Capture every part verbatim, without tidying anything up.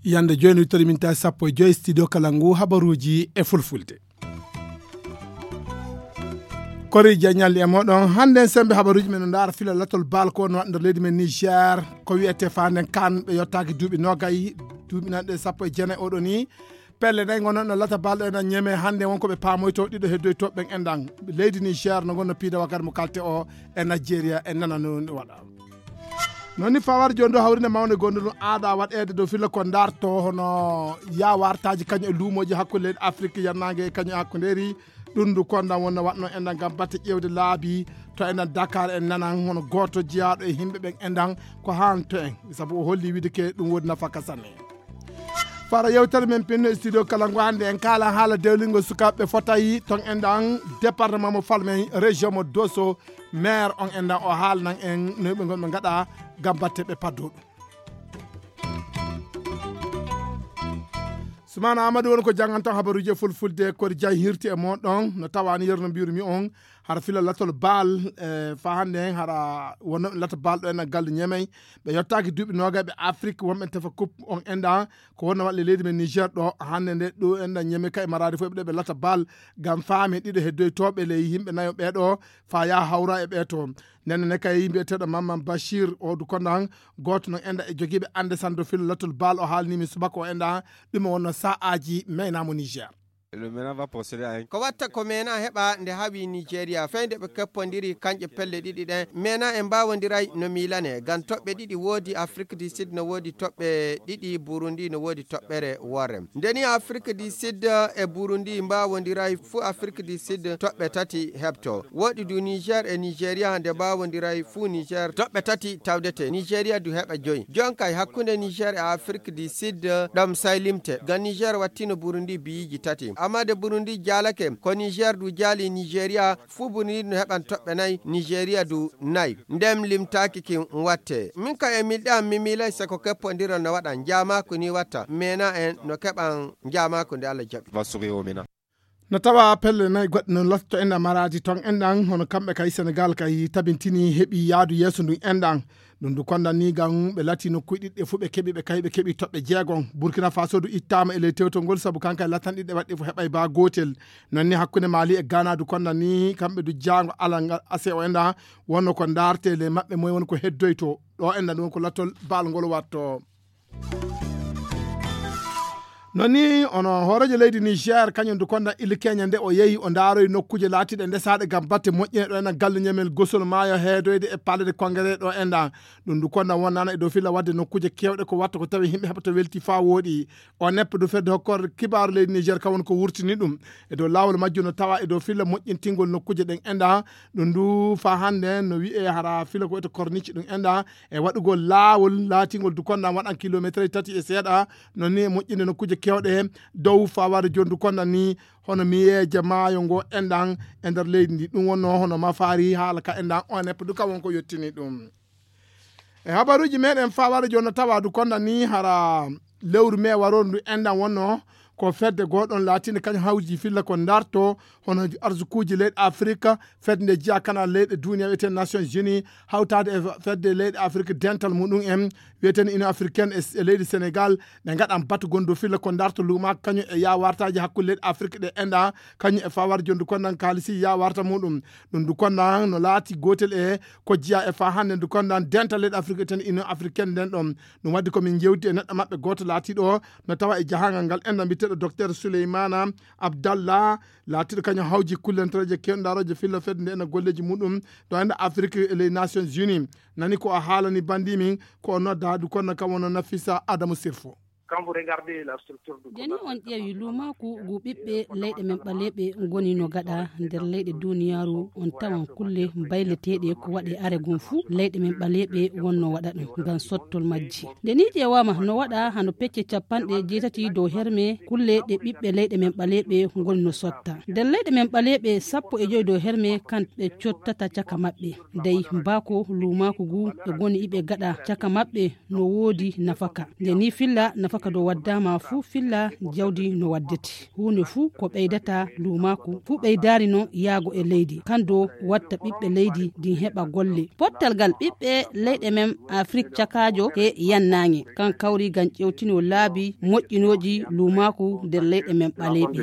Yande jooni wittori min tawi sappo e joyi studio kala ngu habaruuji e fulfulde. Kori jañal e moɗon hannden sembe habaruuji men no ndaara fila latol baal ko no waɗa nder leydi men Niger. Ko wiyete fanden kan ɓe yottaaki duuɓi nogay, duuɓi nanɗe sappo e jeenayi oɗo ni. Pelle nayi ngono no lata baal ɗo ena ñeme hannde wonko ɓe paamoyto ɗiɗo heddoyto ɓen enɗan leydi Niger no ngonno piida wakkati mo kalte o e Nigeria e nana no waɗa. Noon ni fawar jooni ɗo hawrinde mawde gonɗo ɗum aada waɗeede dow filla ko ndarto hono yawartaji kañum e luumooji hakkunde leydi Afrique yannange e kañum e hakkundeeri. Ɗum ndu kondan wonno waɗno enɗan ngam batte ƴeewde laabi to enɗan Dakar en nanan hono gooto jiyaaɗo e yimɓe ɓen enɗan ko haan to en sabu o holli wiide ke ɗum woodi nafaka sanne. Fara yewtere men pinno e studio kala ngo hannde en kaala haala dewlingol sukaaɓe fotayi ton enɗan département mo falmen région mo Dosso. Maire on enɗan o haalnan en no ɓe ngonɓe ngaɗa ngam batte ɓe paddo ɗum. Sumana Amadou woni ko jannganton habaruuji e fulfulde kori jay hirti e mon ɗon no tawani yerno mbirumi on hara fila latol baal e fa hannde en hara wonno lata baal ɗo en gallu ñemey. Ɓe yottaaki duuɓi noogay ɓe Afrique wonɓe tefa coupe on enɗan ko wonno waɗle leydi men Niger ɗo hannde nde ɗo enɗan ñemey kay maraade fof ɓe ɗo ɓe lata baal ngam faami ɗiɗo heddoytooɓe ley yimɓe nayo ɓeeɗo fa yaa hawra e ɓee to. Nden ne kay mbiyeteeɗo Mamman Bachir o du kondan gooto no enɗan e jogiiɓe annde sanndo filo latol baal o haalnimi subaka o enɗan ɗum o wonno sa'aaji meynaamo Niger. Le mena va procéder à un ko watta ko mena heɓa nde hawi Nigeria fey nde ɓe keppondiri kanƴe pelle ɗiɗi ɗen mena en mbawondiray no milane ngam toɓɓe ɗiɗi woodi Afrique du Sud no woodi toɓɓe ɗiɗi Burundi no woodi toɓɓere worre. Ndeni Afrique du Sud e Burundi mbawondiray fu Afrique du Sud toɓɓe tati heɓto. Woɗi du Niger e Nigeria nde mbawondiray fu Niger toɓɓe tati tawdete. Nigeria du heɓa joyi. Jonkay hakkunde Niger e Afrique du Sud ɗom saylimte. Ngam Niger wattino Burundi biyiji tati. Amma de Burundi jalake ko Niger du jali Nigeria fu Burundi no heɓan toɓɓe nayi Nigeria du nayi. Ndem limtaki kin watte. Min ka e milɗe am mi milay seko keppondiral no waɗa. Njamako ni watta. Mena en no keɓan njamako nde Allah jaɓi. Va sourire au mena. No tawa pelle nayi goɗɗe no lotto enɗan maraji ton enɗan hono kamɓe kay Senegal kay tabintini heɓi yaadu yeeso ndun enɗan. Ɗum du kondan ni ngam ɓe lati nokkuuji ɗiɗɗe fof ɓe keɓi ɓe kay ɓe keɓi toɓɓe jeegom. Burkina Faso du ittaama e ley tewtol ngol sabu kanka e latan ɗiɗɗe waɗɗe fof heɓay ba gootel. Non ni hakkunde Mali e Ghana du kondan ni kamɓe du jaango alal ngal ase o enɗan wonno ko ndaarte ley maɓɓe moy woni ko heddoyto ɗo enɗan ɗum ko latol baal ngol watto. Non ni ono hooreejo leydi Niger kañum du konda illi keña nde o yehi o ndaaroyi nokkuuje laatiiɗe ndesaaɗe ngam batte moƴƴine ɗo ena galle ñamel gosol maayo heedoyde e palais de congrès ɗo enɗan. Ɗum du konda wonnana e dow filla waɗde nokkuuje keewɗe ko watta ko tawi yimɓe heɓata welti faa wooɗi. O neppa du fedde hokkorde kibaaru leydi Niger kam woni ko wurtini ɗum e dow laawol majjum no tawa e dow filla moƴƴintingol nokkuuje ɗen enɗan. Ɗum du faa hannde no wiyee hara filla ko wiyete corniche ɗum enɗan e waɗugol laawol laatingol du konda waɗan kilometre tati e seeɗa. Non ni e moƴƴinde nokkuuje keewɗe dow fawaade jooni du konda ni hono miyeeje maayo ngo enɗan e nder leydi ndi ɗum wonno hono mafaari haala ka enɗan onep du ka won ko yettini ɗum. E habaruuji meɗen fawaade jooni no tawa du konda ni hara lewru me waroru ndu enɗan wonno ko fedde goɗon laatinde kañum hawji filla ko darto hono arsukuuji leyɗe Afrika. Fedde nde jeya kana leyɗe duniya wiyete Nations Unies hawtaade e fedde leyɗe Afrique dental muɗum en wiyeten Union Africaine e leydi Sénégal. Ɓe ngaɗan batu gonɗo filla ko darto luumaaka kañum e yawartaaji hakkunde leyɗe Afrique ɗe enɗa kañum e fawar jondu kondan kaalisi yawarta muɗum. Ɗum du kondan no laati gootel e ko jeya e fa hannde du kondan dental leyɗe Afrique wiyeten Union Africaine nden ɗon. Ɗum waddi ko min jewti e neɗɗo maɓɓe gooto laatiiɗo no tawa e jahangal ngal enɗa mbiyeteeɗo docteur Souleymana Abdallah laatiiɗo kañum hawji kullentereeje kewndarooje filla fedde nde ena golleeji muɗum ɗo enda Afrique e les Nations Unies. Nani ko a haalani bandi min ko o nodda du konno kam wono Nafisa Adamu Sirfo. Quand vous regardez la structure du Deni on ƴeewi luumaaku ngu ɓiɓɓe leyɗe men ɓaleeɓe ngoni no gaɗa nder leyɗe duniyaaru on tawan kulle mbayleteeɗe ko waɗe are gon fuu leyɗe men ɓaleeɓe wonno waɗa ɗum ngam sottol majji. Nde ni ƴeewaama no waɗa hano pecce capanɗe jeetati dow herme kulle ɗe ɓiɓɓe leyɗe men ɓaleeɓe ngoni no sotta. Nder leyɗe men ɓaleeɓe sappo e joyi dow herme kamɓe cottata caka maɓɓe. Dey mbaako luumaaku ngu ɓe ngoni iɓe gaɗa caka maɓɓe no woodi nafaka. Nde ni filla nafaka Kado waddaama fuu filla jawdi no waddete. Huunde fuu ko ɓeydata luumaaku, fuu ɓeydaari noon yaago e leydi. Kando watta ɓiɓɓe leydi ndin heɓa golle. Pottal ngal ɓiɓɓe leyɗe men Afrik cakaajo e yannaange. Kan kawri ngam ƴewtino laabi moƴƴinooji luumaaku nder leyɗe men ɓaleeɓe.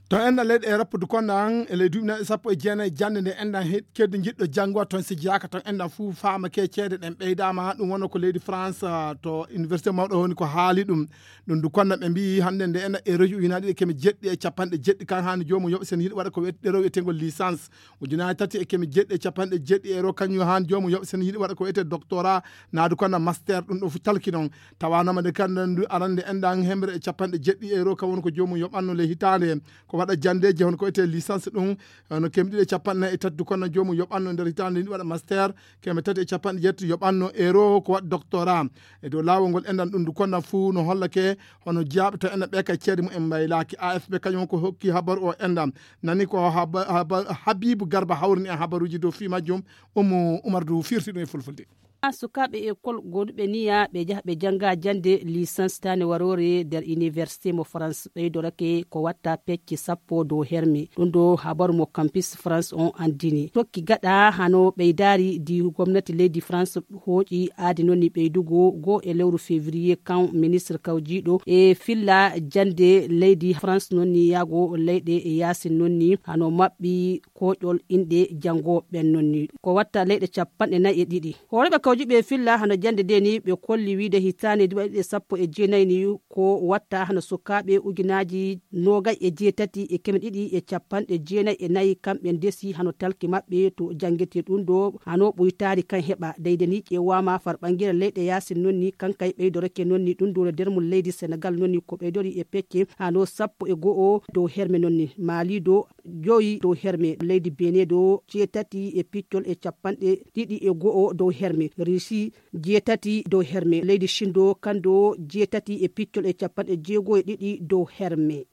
To enɗan leyɗe Erop du konɗan e ley duuɓi nayi sappo e jeenayi jannde nde enɗan he-, keddi njiɗɗo janngo toon si jeyaaka toon enɗan fuu faama ke ceede ɗen ɓeydaama. Ɗum wonno ko leydi France, ah, to université mawɗo woni ko haali ɗum. Ɗum du konɗan ɓe mbiyi hannde nde enɗan e région ujunaaji ɗiɗi e keme jeɗɗi e capanɗe jeɗɗi kan haani joomum yoɓa sen yiɗi waɗa ko wiyete ɗerew wiyeteengol licence. Ujunaaji tati e keme jeɗɗi e capanɗe jeɗɗi euro kañum haani joomum yoɓa sen yiɗi waɗa ko wiyete doctorat naadu konɗan master ɗum ɗo fu talki noon. Tawanoma nde kanɗan ndu arande enɗan hemre e capanɗe jeɗɗi euro kan woni ko joomum yoɓanno le hitaande. Ko waɗa janndeeji hono ko etee licence ɗum, hono keme ɗiɗi e capanɗe nayi e tati du konɗan joomum yoɓanno nder hitaande ni waɗa master, keme tati e capanɗe jeetati yoɓanno euro ko waɗa doctorat. E dow laawol ngol enɗan ɗum du konɗan fuu no hollake hono jiyaaɓe to enɗan ɓe kay ceede mumen mbaylaaki. A F P kañum ko hokki habaru o enɗan. Nani ko haba-, haba-, Habibu Garba hawrini en habaruuji dow fii majjum. Ummu Umar du firti ɗum e fulfulde. Sukaaɓe ekol gooduɓe niya ɓe jaha ɓe jannga jannde licence taane waroore nder université mo France ɓeydorake ko watta pecce sappo dow herme. Ɗum ɗo habaru mo Campus France on anndini. Tokki gaɗa hano ɓeydaari di gomnati leydi France hooƴi aadi noon ni ɓeydugo goo e lewru février kan ministre kawjiiɗo e filla jannde leydi France noon ni yaago leyɗe e yaasin noon ni hano maɓɓi kooƴol inɗe janngooɓe ɓen noon ni. Ko watta leyɗe capanɗe nayi e ɗiɗi. Hooreeɓe kawjuɓe filla hano jannde nde ni ɓe kolli wiide hitaande duuɓi ɗiɗi sappo e jeenayi ni ko watta hano sukaaɓe ujunaaji noogay e jeetati e keme ɗiɗi e capanɗe jeenayi e nayi kamɓe ndesi hano talki maɓɓe to janngete ɗum ɗo hano ɓuytaari kan heɓa. Deyde ni ƴeewaama far ɓanngere leyɗe yaasin noon ni kankay ɓeydorake noon ni ɗum ɗo no nder mum leydi Senegal noon ni ko ɓeydori e pecce hano sappo e go'o dow herme noon ni. Mali ɗo joyi dow herme, leydi Benin ɗo jeetati e piccol e capanɗe ɗiɗi e go'o dow herme, Risi jeetati dow herme, leydi Shin ɗo kan ɗo jeetati e piccol e capanɗe jeego e ɗiɗi dow herme.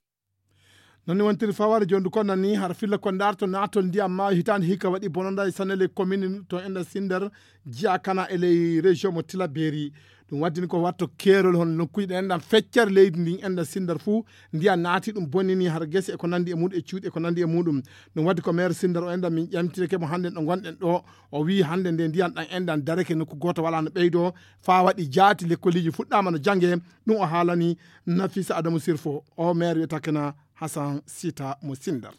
Non ni wontiri faware jondu kon nani har filla ko ndarto naatol ndiyam maayo hitaande hikka waɗi bononda e sanele commune to enɗa Sinder jiya kana e ley région mo Tilaberi. Ɗum waddini ko watto keerol hono nokkuuji ɗe enɗan feccere leydi ndin enɗan Sinder fuu ndiyam naati ɗum bonnini har gese e ko nandi e muɗum e cuuɗi e ko nandi e muɗum. Ɗum waddi ko maire Sinder o enɗan min ƴamtireke mo hannde ɗo ngonɗen ɗo. O wiyi hannde nde ndiyam ɗan enɗan dareke nokku gooto wala no ɓeydo faa waɗi jaati lekkoliji fuɗɗaama no jange. Ɗum o haalani Nafisa Adamu Sirfo o maire wiyata kena Hassan Sita mo Sinder.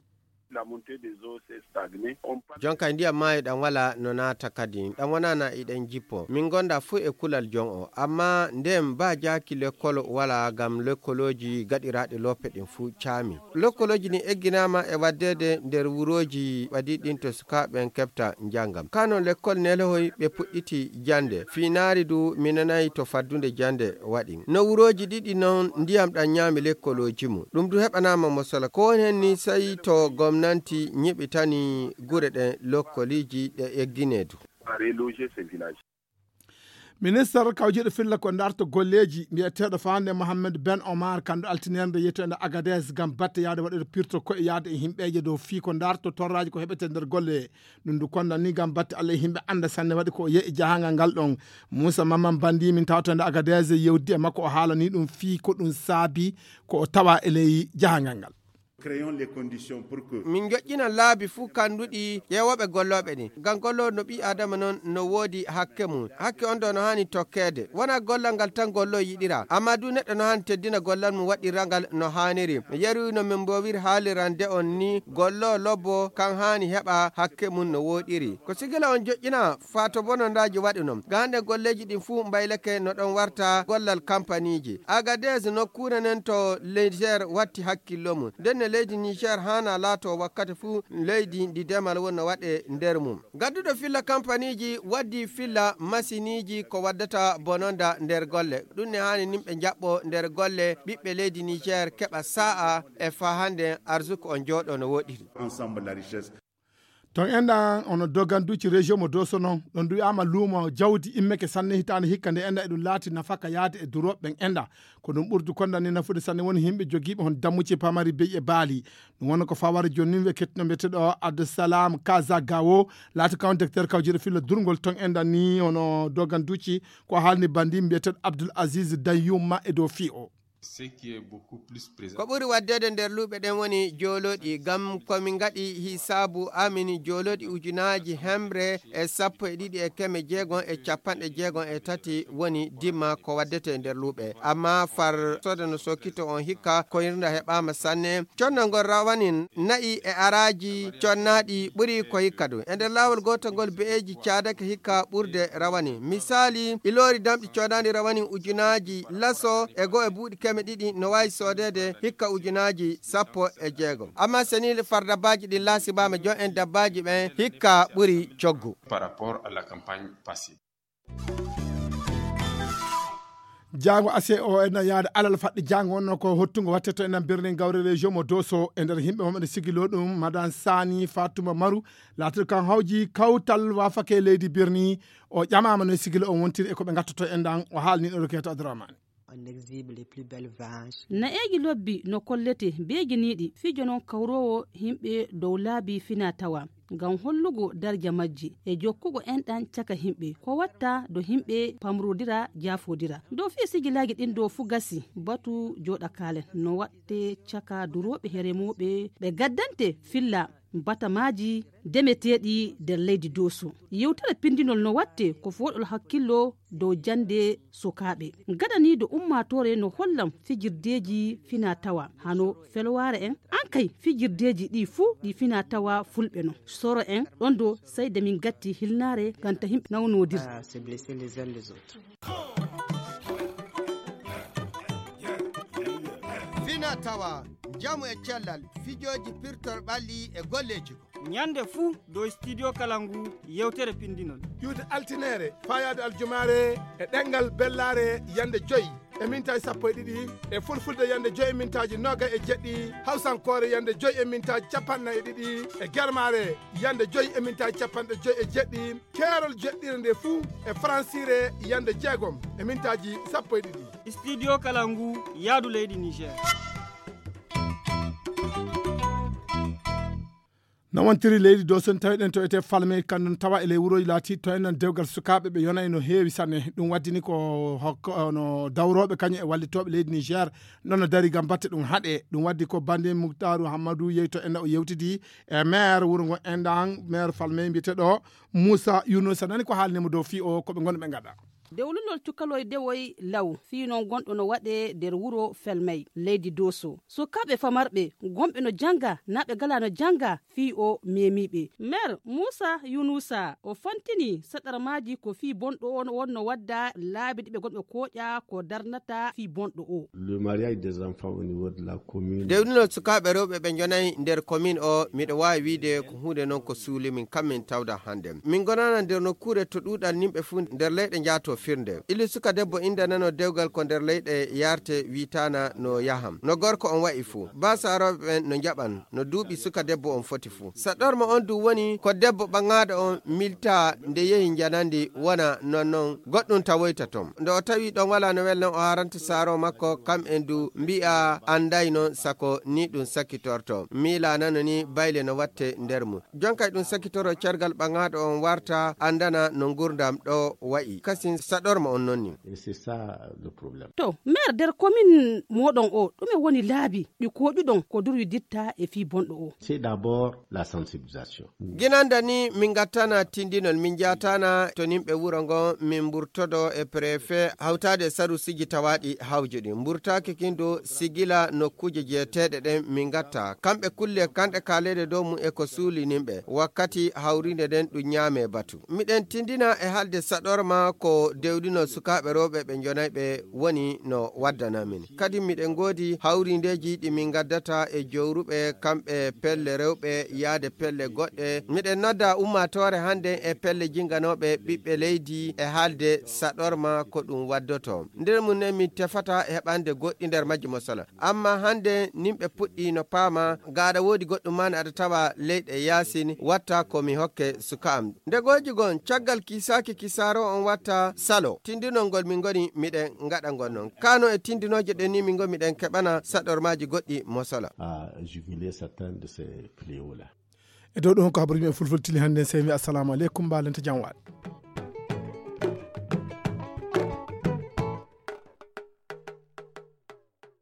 Jonka ndiyam maayo ɗam wala no naata kadi ɗam wonana iɗen jippo min gonda fuu e kulal jon o amma nden ba jaaki lekkol wala ngam lekkolooji gaɗiraaɗi loope ɗin fuu caami. Lekkolooji ɗin egginama e waddede nder wurooji ɓadi ɗin to sukaaɓe en keɓta njangam kano lekkol nelohoy ɓe puɗɗiti jande finaari du minanayi to faddunde jande waɗi no wurooji ɗiɗi non ndiyam ɗam ñaami lekkolooji mum ɗum du heɓanama mo sala ko woni hen ni sey to gomnanti ñiɓitani gure ɗen lokkoliiji ɗe eggine du. Minister kawjiiɗo filla ko darto golleeji mbiyeteeɗo fande Mohammed Ben Omar kanɗo altinerde yettoende Agadez ngam batte yaade waɗude pirto koye yaade e himɓeeje dow fii ko darto torraaji ko heɓete nder golle. Ɗum ndu konda ni ngam batte Allah e himɓe annda sanne waɗi ko o yehi jahangal ngal ɗon. Moussa Maman Bandi min tawtende Agadez yewdi e makko o haalani ɗum fii ko ɗum saabi ko o tawa e ley jahangal ngal. Min joƴƴina laabi fuu kannduɗi ƴeewooɓe gollooɓe ɗin. Ngam golloowo no ɓii Aadama non no woodi hakke mum. Hakke on ɗoo no haani tokkeede. Wonaa gollal ngal tan golloowo yiɗira, ammaa duu neɗɗo no haani teddina gollal mum waɗira ngal no haaniri. Yeru no min mboowiri haalirande on nii, golloowo lobbo kan haani heɓa hakke mum no wooɗiri. Ko sigila on joƴƴina faa to bonondaaji waɗu non. Ga hannden golleeji ɗin fuu mbaylake no ɗon warta gollal kampaniiji. Agadez nokkuure nden to Niger watti hakkillo mum. Ndenne leydi Niger haana laato wakkati fuu leydi ndi demal wonno waɗe nder mum. Gadduɗo filla kampaniiji waddi filla masiniiji ko waddata bononda nder golle. Ɗum ne haani nimɓe njaɓɓo nder golle ɓiɓɓe leydi Niger keɓa saa'a e faa hannden arsuku on jooɗo no wooɗiri. Ton enɗan ono doganduci région mo doso non ɗon ɗum wi'ama luumo jawdi immeke sanne hitaande hikka nde enɗan eɗum laati nafaka yaade e durooɓe ɓen enɗan. Ko ɗum ɓurdu kondan ni nafude sanne woni yimɓe jogiiɓe hon dammuci pamari beyi e baali. Ɗum woni ko fawara jooni ni ɓe kettuno mbiyeteɗo Abdussalam Kazagawo, laati kan docteur kawjiro fillo durngol ton enɗan ni ono doganduci. Ko haalni bandi mbiyeteɗo Abdul Aziz Dayumma e dow fii o. Ko ɓuri waddede nder luuɓe ɗen woni jooloɗi, ngam ko min ngaɗi hisaabu amin jooloɗi ujunaaji hemre e sappo e ɗiɗi e keme jeegom e capanɗe jeegom e tati woni dimma ko waddete nder luuɓe. Amma far soda no sokkito on hikka, koyirnda heɓaama sanne. Connol ngol rawanin na'i e araaji connaaɗi ɓuri ko hikka ɗum. E nder laawol gootol ngol be'eeji caadake hikka ɓurde rawani. Misaali, iloori damɗi connaaɗi rawani ujunaaji laso e go'o e buuɗi keme ɗiɗi no waawi soodeede hikka ujunaaji sappo e jeegom. Amma seniile far dabbaaji ɗin laasibaama jon en dabbaaji ɓen hikka ɓuri coggu. Par rapport à la campagne passée. Jaango ase o ena yaada alal faɗɗi jaango wonno ko hottungo watte to enen birni gawre région mo doso e nder yimɓe maɓɓe ne sigilo ɗum madan sani fatuma maru laatiɗo kan hawji kawtal wafake leydi birni o ƴamama no e sigilo on wontiri e ko ɓe gattata en ɗan o haalni ɗo roketa adramani. Na'eeji lobbi no kollete beejiniiɗi fijo non kawroowo yimɓe dow laabi fina tawa ngam hollugo darja majji e jokkugo enɗan caka yimɓe ko watta do yimɓe pamrodira jafodira dow fii sigilaaji ɗin dow fu gasi batu jooɗa kaalen no watte caka durooɓe he remooɓe ɓe gaddante filla batamaaji demeteeɗi nder leydi doso yewtere pindinol no watte ko fooɗol hakkillo dow jannde sukaaɓe gadaniido ummaatoore no hollam fijirdeeji fina tawa hano felwaare en an kay fijirdeeji ɗi fuu ɗi fina tawa fulɓe non soro en ɗon do sey de min gatti hilnaare ngam ta yimɓe nawnodir. Fina tawa njamu e cellal fijooji pirtor ɓalli e golleeji. Ñande fuu dow studio kala ngu yewtere pinndinol. Ƴuwde altineere faayaade aljumaare e ɗemngal bellaare yande joy e mintaaji sappo e ɗiɗi, e fulfulde yande joy e mintaaji noogay e jeɗɗi, hawsankoore yande joy e mintaaji capanɗe nayi e ɗiɗi, e germaare yande joy e mintaaji capanɗe joy e jeɗɗi, keerol jeɗɗire nde fuu e faransiire yande jeegom e mintaaji sappo e ɗiɗi. Studio kala ngu yaadu leydi Niger. No wontiri leydi dow so en tawi ɗen to ete falme kanɗum tawa e ley wuroji laati to en non dewgal sukaaɓe ɓe yonay no heewi sanne ɗum waddini ko hokko no dawrooɓe kañum e wallitooɓe leydi Niger nono dari gam batte ɗum haɗe ɗum waddi ko bande Muktaaru Hammadu yeyto en o yewtidi e maire wuro ngo enɗan maire falme mbiyeteɗo Moussa Younoussa nani ko haalnimo dow fii o koɓe ngonɓe gaɗa. Dewlunol cukaloy dewoy law fii non gonɗo no waɗee nder wuro Felmey leydi Dooso. Sukaaɓe famarɓe gonɓe no jannga naa ɓe galaa no jannga fii o meemiiɓe. Meer Muusa Yuunuusa o fantinii saɗarmaaji ko fii bonɗo on wonno wadda laabi ɗi ɓe gonɓe kooƴa ko darnata fii bonɗo o. Le mariage des enfants au niveau de la commune. Dewlunol sukaaɓe rewɓe ɓe njonayi nder commune o miɗo waawi wiide ko huunde non ko suuli min kam min tawda hannde. Min ngonana nder nokkuure to ɗuuɗal nimɓe fuu nder leyɗe njaato firnde. Ili suka debbo indanano dewgal ko nder leyɗe yaarte wiitaana no yaham. No gorko on wa'i fuu. Baa saarooɓe ɓen no njaɓan no duuɓi suka debbo on foti fuu. Saɗorma on du woni ko debbo ɓaŋaaɗo on miltaa nde yehi njanandi wona non non goɗɗum tawoyta ton. Nde o tawi ɗon walaa no welno o haranta saaroo makko kam en du mbi'a anday non sako ni ɗum sakitorto. Miilaanano ni bayle no watte nder mum. Jonkay ɗum sakitoro cargal ɓaŋaaɗo on warta anndana no ngurndam ɗo wa'i. Kasin saɗorma on nonni. Et c'est ça le problème. To, maire nder commune moɗon o, ɗume woni laabi ɗi koɗuɗon ko durwi ditta e fii bonɗo o? C'est d'abord la sensibilisation. Ginanda ni min gattana tindinol min jatana to nimɓe wuro ngo min mburtodo e préfet hawtade e sarusiji tawaɗi hawjuɗi mburtaki kindo sigila nokkuje jeeteɗe ɗen min gatta kamɓe kulle kanɗe kalede dow mum e ko suuli nimɓe wakkati hawrinde ɗen ɗum ñaame batu miɗen tindina e halde saɗorma ko dewɗinol sukaaɓe rewɓe ɓe njonayɓe woni no waddana min. Kadi miɗen ngoodi hawrindeeji ɗi min ngaddata e jowruɓe kamɓe pelle rewɓe yaade pelle goɗɗe. Miɗen nodda ummaatoore hannden e pelle jinganooɓe ɓiɓɓe leydi e haalde saɗorma ko ɗum waddoto. Nder mum ne min tefata heɓande goɗɗi nder majji mo sala. Amma hannde nimɓe puɗɗi no paama, gaɗa woodi goɗɗum maa aɗa tawa leyɗe yaasin, watta ko mi hokke suka am. Nde gooji gon, caggal kisaaki kisaaro on watta salo. Tindinol ngol min ngoni miɗen ngaɗa ngol non. Kano e tindinooje ɗen ni min ngoni miɗen keɓana saɗormaaji goɗɗi mo sala. À juguler certains de ces fléaux-là. E dow ɗum ko habaruji men fulfulde tili hannden, sey mi assalamu aleykum, mbalente jam waɗ.